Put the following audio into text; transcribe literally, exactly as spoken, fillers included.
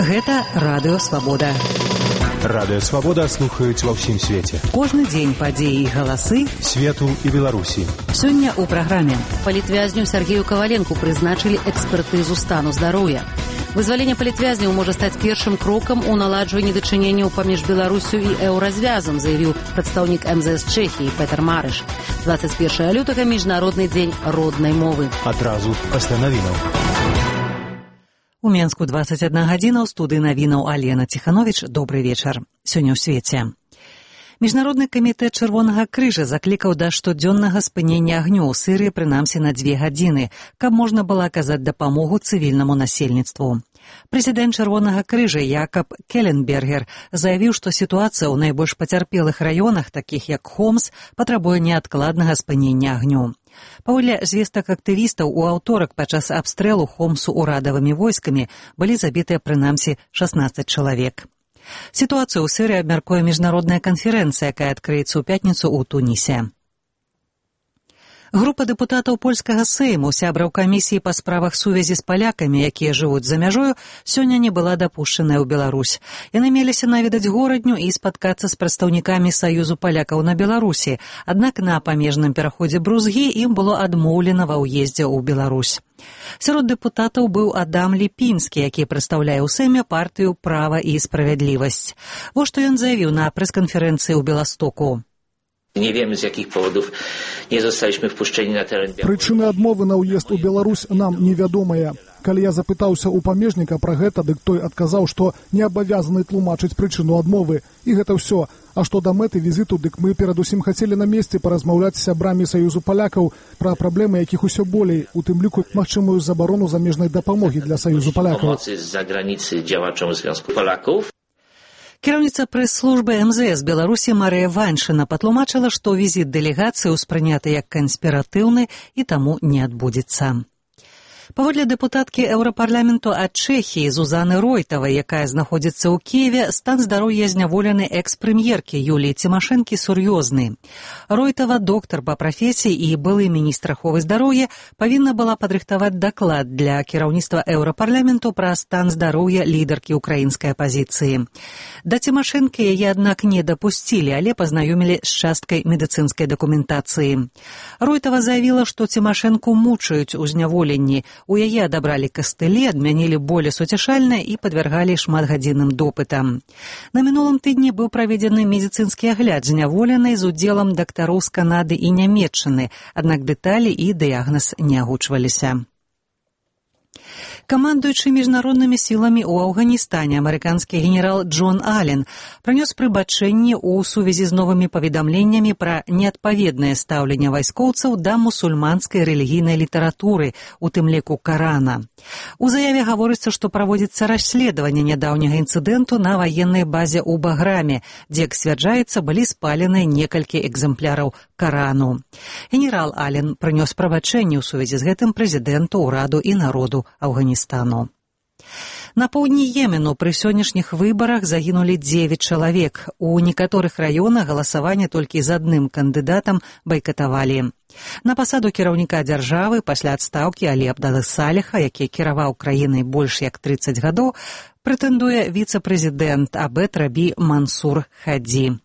Гэта Радыё Свабода. Радыё Свабода слухаюць ва ўсім свеце. Кожны дзень падзеі і галасы свету і Беларусі. Сёння ў праграме. Палітвязню Сергею Каваленку прызначылі экспертызу стану здароўя. Вызваленне палітвязняў можа стаць першым крокам у наладжванні дачыненняў паміж Беларусю і еўразвязам, заявіў прадстаўнік эм зэ эс Чэхіі Петр Марыш. дваццаць першага лютага міжнародны дзень роднай мовы. Адразу пасля навінаў. У Менску дваццаць адна гадзіна, ў студыі навінаў Алена Ціхановіч. Добры вечар. Сёння ў свеце. Міжнародны камітэт Чырвонага крыжа заклікаў да штодзённага спынення агню ў Сірыі прынамсі на дзве гадзіны, каб можна было аказаць дапамогу цывільнаму насельніцтву. Прэзідэнт Чырвонага крыжа Якаб Келленбергер заявіў, што сітуацыя ў найбольш пацярпелых раёнах, такіх як Хомс, патрабуе неадкладнага спынення агню. Паводле звестак актывістаў, у аўторак падчас абстрэлу Хомсу урадавымі войскамі былі забітыя прынамсі шаснаццаць чалавек. Сітуацыю ў Сірыі абмяркуе міжнародная канферэнцыя, якая адкрыецца ў пятніцу ў Тунісе. Група дэпутатаў польскага сейму, сябраў камісіі па справах сувязі з палякамі, якія жывуць за мяжою, сёння не была дапушчаная ў Беларусь. Яны меліся наведаць горадню і спаткацца з прадстаўнікамі Саюзу палякаў на Беларусі, аднак на памежным пераходзе Брузгі ім было адмоўлена ва ўездзе ў Беларусь. Сярод дэпутатаў быў Адам Ліпінскі, які прадстаўляе ў Сейме партыю «Права і справядлівасць». Вось што ён заявіў на прэс-канферэнцыі ў Беластоку. Nie wiemy, z jakich powodów nie zostaliśmy wpuszczeni na teren Białorusi. Прычыны адмовы на ўезд у Беларусь нам невядомыя. Калі я запытаўся ў памежніка пра гэта, дык той адказаў, што не абавязаны тлумачыць прычыну адмовы. І гэта ўсё. А што да мэты візіту, дык мы перадусім хацелі на месцы паразмаўляць з сябрамі Саюзу палякаў пра праблемы, якіх усё болей, у тым ліку магчымую забарону замежнай дапамогі для Саюзу палякаў. Pomocy z zagranicy działaczom Związku Polaków. Кіраўніца прэс-службы эм зэ эс Беларусі Марыя Ваншына патлумачыла, што візіт дэлегацыі ўспрыняты як канспіратыўны і таму не адбудзецца. Паводле дэпутаткі Еўрапарламенту ад Чэхіі Зузаны Ройтавай, якая знаходзіцца ў Кіеве, стан здароўя зняволенай экс-прэм'еркі Юліі Цімашэнкі сур'ёзны. Ройтава, доктар па прафесіі і былы міністр аховы здароўя, павінна была падрыхтаваць даклад для кіраўніцтва Еўрапарламенту пра стан здароўя лідаркі ўкраінскай апазіцыі. Да Цімашэнкі яе, аднак, не дапусцілі, але пазнаёмілі з часткай медыцынскай дакументацыі. Ройтава заявіла, што Цімашэнку мучаюць у зняволенні. У яе адабралі кастылі, адмянілі болі суцяшальныя і падвяргалі шматгадзінным допытам. На мінулым тыдні быў праведзены медыцынскі агляд зняволенай з удзелам дактароў з Канады і Нямецчыны, аднак дэталі і дыягназ не агучваліся. Камандуючы міжнароднымі сіламі ў Афганістане амерыканскі генерал Джон Ален прынёс прыбачэнне ў сувязі з новымі паведамленнямі пра неадпаведнае стаўленне вайскоўцаў да мусульманскай рэлігійнай літаратуры, у тым ліку Карана. У заяве гаворыцца, што праводзіцца расследаванне нядаўняга інцыдэнту на ваеннай базе ў Баграме, дзе, як сцвярджаецца, былі спалены некалькі экземпляраў Карану. Генерал Ален прынёс прабачэнне ў сувязі з гэтым прэзідэнту, ураду і народу Афганістану. На поўдні Йемену пры сённяшніх выбарах загінулі дзевяць чалавек. У некаторых раёнах галасаванне толькі з адным кандыдатам байкатавалі. На пасаду кіраўніка дзяржавы пасля адстаўкі Алі Абдалы Саліха, які кіраваў краінай больш як трыццаць гадоў, прэтэндуе віцэ-прэзідэнт Абед Рабі Мансур Хадзі.